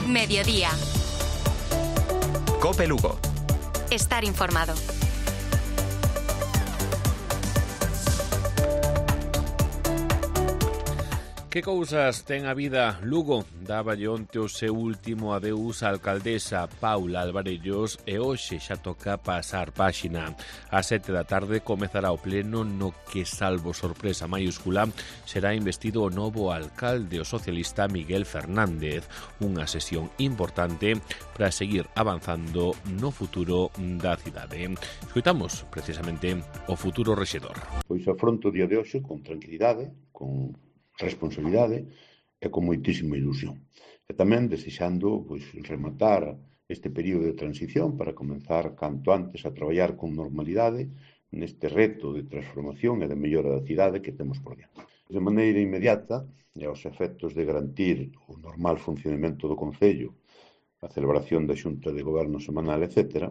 Mediodía. COPE Lugo. Estar informado. Que cousas ten a vida? Lugo dáballe onte o seu último adeus á alcaldesa Paula Alvarellos e hoxe xa toca pasar páxina. Ás 7 da tarde comezará o pleno no que, salvo sorpresa maiúscula, será investido o novo alcalde, o socialista Miguel Fernández. Unha sesión importante para seguir avanzando no futuro da cidade. Escoitamos precisamente o futuro rexedor. Pois afronto o día de hoxe con tranquilidade, con responsabilidade e con moitísima ilusión. E tamén desexando rematar este período de transición para comenzar canto antes a traballar con normalidade neste reto de transformación e de mellora da cidade que temos por diante. De maneira inmediata e aos efectos de garantir o normal funcionamento do Concello, a celebración da Xunta de Goberno semanal, etc.,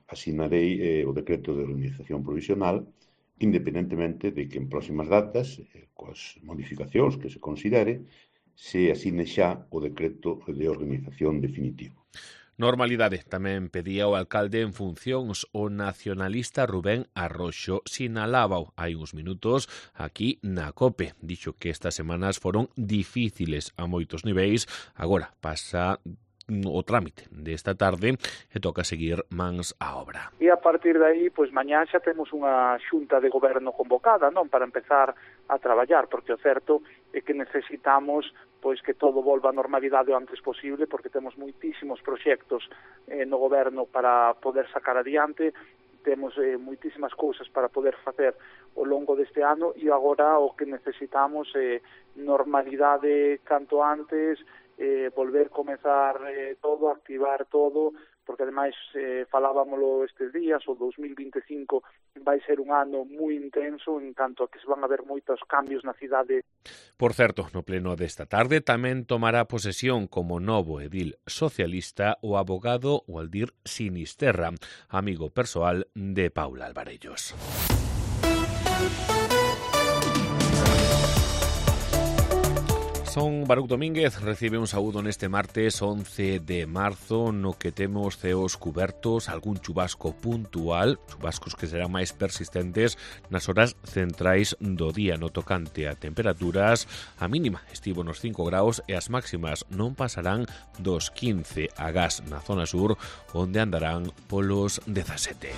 asinarei o decreto de organización provisional, independentemente de que en próximas datas, coas modificacións que se considere, se asine xa o decreto de organización definitivo. Normalidade tamén pedía o alcalde en funcións. O nacionalista Rubén Arroxo sinalábao hai uns minutos aquí na COPE. Dixo que estas semanas foron difíciles a moitos niveis. Agora pasa o trámite desta tarde e toca seguir mans á obra. E a partir de aí, mañá xa temos unha xunta de goberno convocada, non, para empezar a traballar, porque o certo é que necesitamos que todo volva á normalidade o antes posible, porque temos moitísimos proxectos no goberno para poder sacar adiante, temos moitísimas cousas para poder facer ao longo deste ano e agora o que necesitamos é normalidade canto antes, volver comezar todo, activar todo, porque ademais falábamolo estes días, o 2025 vai ser un ano moi intenso en tanto a que se van a ver moitos cambios na cidade. Por certo, no pleno desta tarde tamén tomará posesión como novo edil socialista o abogado Waldir Sinisterra, amigo persoal de Paula Alvarellos. Son Baruch Domínguez, recibe un saúdo neste martes 11 de marzo no que temos ceos cubertos, algún chubasco puntual, chubascos que serán máis persistentes nas horas centrais do día. No tocante a temperaturas, a mínima estivo nos 5 graus e as máximas non pasarán dos 15 agás na zona sur, onde andarán polos 17.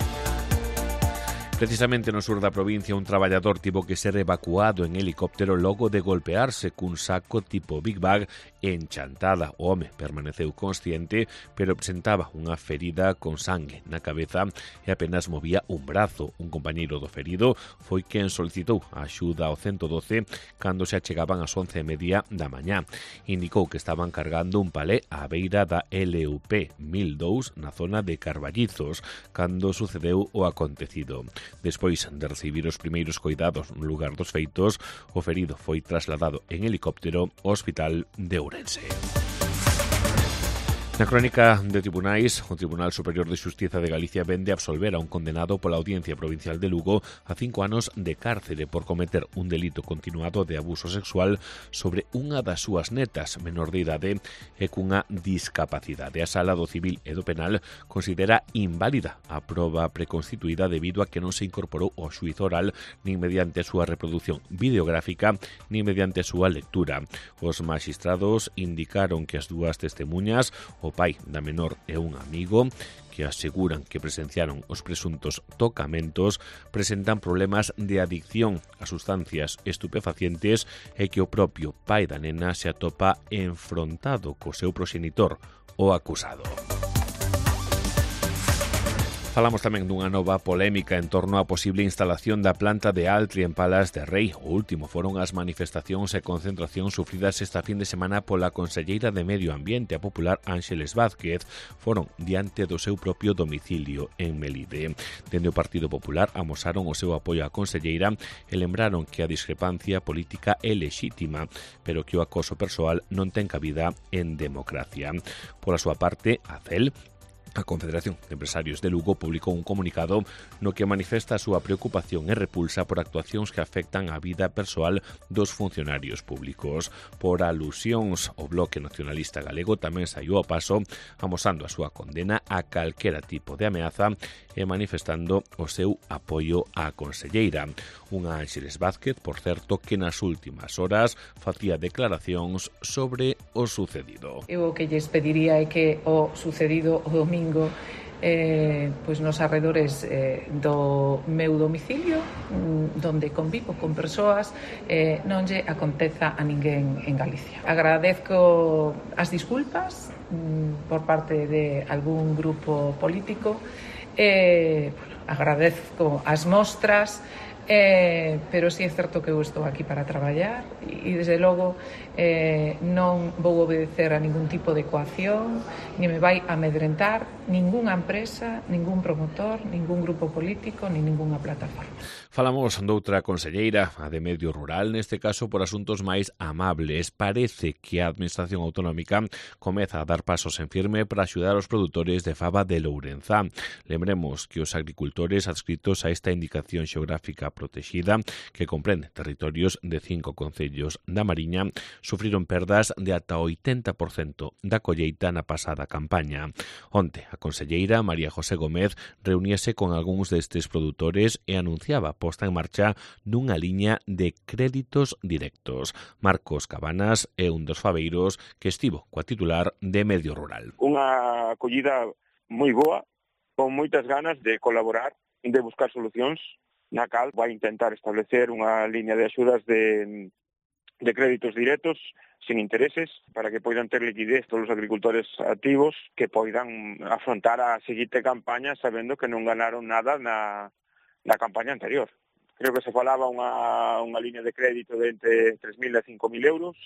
Precisamente no sur da provincia, un traballador tivo que ser evacuado en helicóptero logo de golpearse cun saco tipo Big Bag en Chantada. O home permaneceu consciente, pero presentaba unha ferida con sangue na cabeza e apenas movía un brazo. Un compañeiro do ferido foi quen solicitou a axuda ao 112 cando se achegaban ás 11:30 da mañá. Indicou que estaban cargando un palé á beira da LUP 1002 na zona de Carballizos cando sucedeu o acontecido. Despois de recibir os primeiros coidados no lugar dos feitos, o ferido foi trasladado en helicóptero ao Hospital de Ourense. Na crónica de tribunais, o Tribunal Superior de Xustiza de Galicia vende absolver a un condenado pola Audiencia Provincial de Lugo a 5 anos de cárcere por cometer un delito continuado de abuso sexual sobre unha das súas netas, menor de idade e cunha discapacidade. A Sala do Civil e do Penal considera inválida a proba preconstituída debido a que non se incorporou ao xuízo oral nin mediante a súa reproducción videográfica nin mediante a súa lectura. Os maxistrados indicaron que as dúas testemuñas, o pai da menor e un amigo, que aseguran que presenciaron os presuntos tocamentos, presentan problemas de adicción a sustancias estupefacientes e que o propio pai da nena se atopa enfrontado co seu proxenitor, o acusado. Falamos tamén dunha nova polémica en torno á posible instalación da planta de Altri en Palas de Rei. O último foron as manifestacións e concentracións sufridas esta fin de semana pola conselleira de Medio Ambiente, a popular Ángeles Vázquez. Foron diante do seu propio domicilio en Melide. Dende o Partido Popular amosaron o seu apoio á conselleira e lembraron que a discrepancia política é lexítima, pero que o acoso persoal non ten cabida en democracia. Pola súa parte, a CEL A Confederación de Empresarios de Lugo publicou un comunicado no que manifesta a súa preocupación e repulsa por actuacións que afectan a vida persoal dos funcionarios públicos. Por alusións, o Bloque Nacionalista Galego tamén saiu ao paso amosando a súa condena a calquera tipo de ameaza e manifestando o seu apoio á conselleira. Unha Ángeles Vázquez, por certo, que nas últimas horas facía declaracións sobre o sucedido. Eu o que lles pediría é que o sucedido o domingo pois nos arredores do meu domicilio, donde convivo con persoas, non lle aconteza a ninguén en Galicia. Agradezco as disculpas por parte de algún grupo político, agradezco as mostras, pero sí é certo que eu estou aquí para traballar e desde logo non vou obedecer a ningún tipo de coacción, ni me vai amedrentar ningunha empresa, ningún promotor, ningún grupo político, ni ningunha plataforma. Falamos doutra conselleira, a de Medio Rural, neste caso por asuntos máis amables. Parece que a Administración Autonómica comeza a dar pasos en firme para axudar os produtores de faba de Lourenza. Lembremos que os agricultores adscritos a esta indicación xeográfica protexida, que comprende territorios de 5 concellos da Mariña, sufriron perdas de ata 80% da colleita na pasada campaña. Onte, a conselleira María José Gómez reuníase con algúns destes produtores e anunciaba a posta en marcha dunha liña de créditos directos. Marcos Cabanas é un dos fabeiros que estivo coa titular de Medio Rural. Unha acollida moi boa, con moitas ganas de colaborar, de buscar solucións, na cal vai intentar establecer unha liña de axudas de créditos directos sin intereses para que poidan ter liquidez todos os agricultores activos que poidan afrontar a seguinte campaña sabendo que non ganaron nada na campaña anterior. Creo que se falaba unha liña de crédito de entre 3.000 e 5.000 euros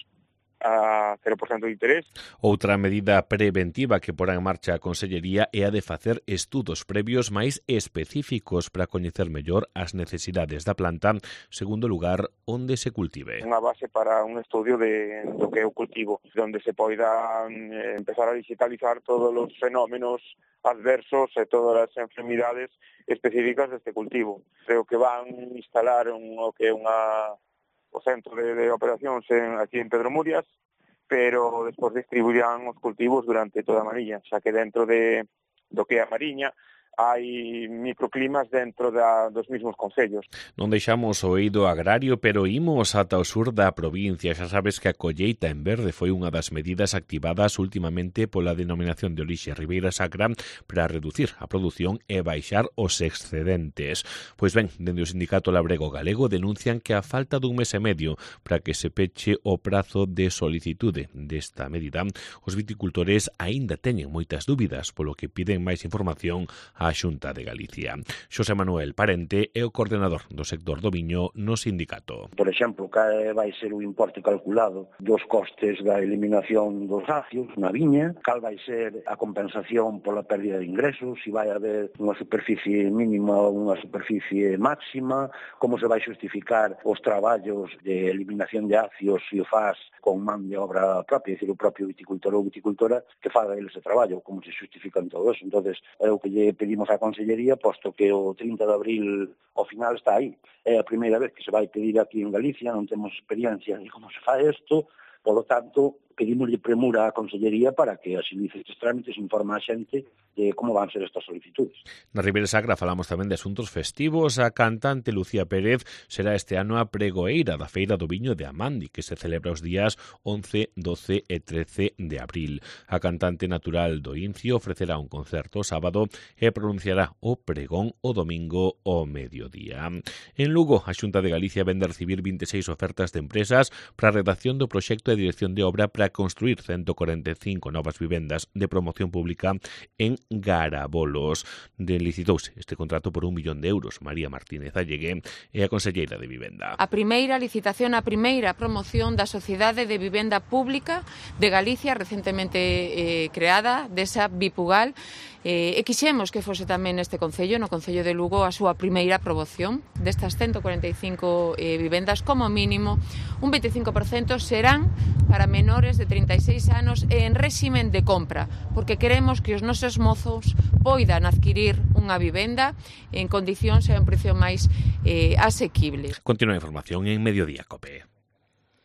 a 0% de interés. Outra medida preventiva que porá en marcha a Consellería é a de facer estudos previos máis específicos para coñecer mellor as necesidades da planta segundo o lugar onde se cultive. Unha base para un estudio do que é o cultivo, onde se poida empezar a digitalizar todos os fenómenos adversos e todas as enfermidades específicas deste cultivo. Creo que van instalar o que é o centro de operacións aquí en Pedro Murias, pero despois distribuirán os cultivos durante toda a Mariña, xa que dentro do que é a Mariña hai microclimas dentro dos mismos concellos. Non deixamos o eido agrario, pero imos ata o sur da provincia. Xa sabes que a colleita en verde foi unha das medidas activadas últimamente pola denominación de orixe Ribeira Sacra para reducir a produción e baixar os excedentes. Pois ben, dende o Sindicato Labrego Galego denuncian que a falta dun mes e medio para que se peche o prazo de solicitude desta medida, os viticultores aínda teñen moitas dúbidas, polo que piden máis información a Xunta de Galicia. Xosé Manuel Parente é o coordenador do sector do viño no sindicato. Por exemplo, cal vai ser o importe calculado dos costes da eliminación dos acios na viña, cal vai ser a compensación pola pérdida de ingresos, se vai haber unha superficie mínima ou unha superficie máxima, como se vai justificar os traballos de eliminación de acios se o faz con man de obra propia, é dicir, o propio viticultor ou viticultora que faga eles ese traballo, como se justifican todo eso. Entonces, é o que lle pedimos á Consellería, posto que o 30 de abril ao final está aí. É a primeira vez que se vai pedir aquí en Galicia, non temos experiencia de como se fai isto, polo tanto, pedimoslle premura á Consellería para que agilice estes trámites e informe a xente de como van ser estas solicitudes. Na Ribeira Sacra falamos tamén de asuntos festivos. A cantante Lucía Pérez será este ano a pregoeira da Feira do Viño de Amandi, que se celebra os días 11, 12 e 13 de abril. A cantante natural do Incio ofrecerá un concerto o sábado e pronunciará o pregón o domingo ao mediodía. En Lugo, a Xunta de Galicia vende a recibir 26 ofertas de empresas para a redacción do proxecto de dirección de obra para construir 145 novas vivendas de promoción pública en Garabolos. Licitouse este contrato por 1 millón de euros. María Martínez Allegué é a conselleira de Vivenda. A primeira licitación, a primeira promoción da Sociedade de Vivenda Pública de Galicia, recentemente creada, desa Bipugal, E quixemos que fose tamén neste Concello, no Concello de Lugo, a súa primeira promoción destas 145 vivendas, como mínimo, un 25% serán para menores de 36 anos en réximen de compra, porque queremos que os nosos mozos poidan adquirir unha vivenda en condicións e a un precio máis asequible. Continúa a información en Mediodía Cope.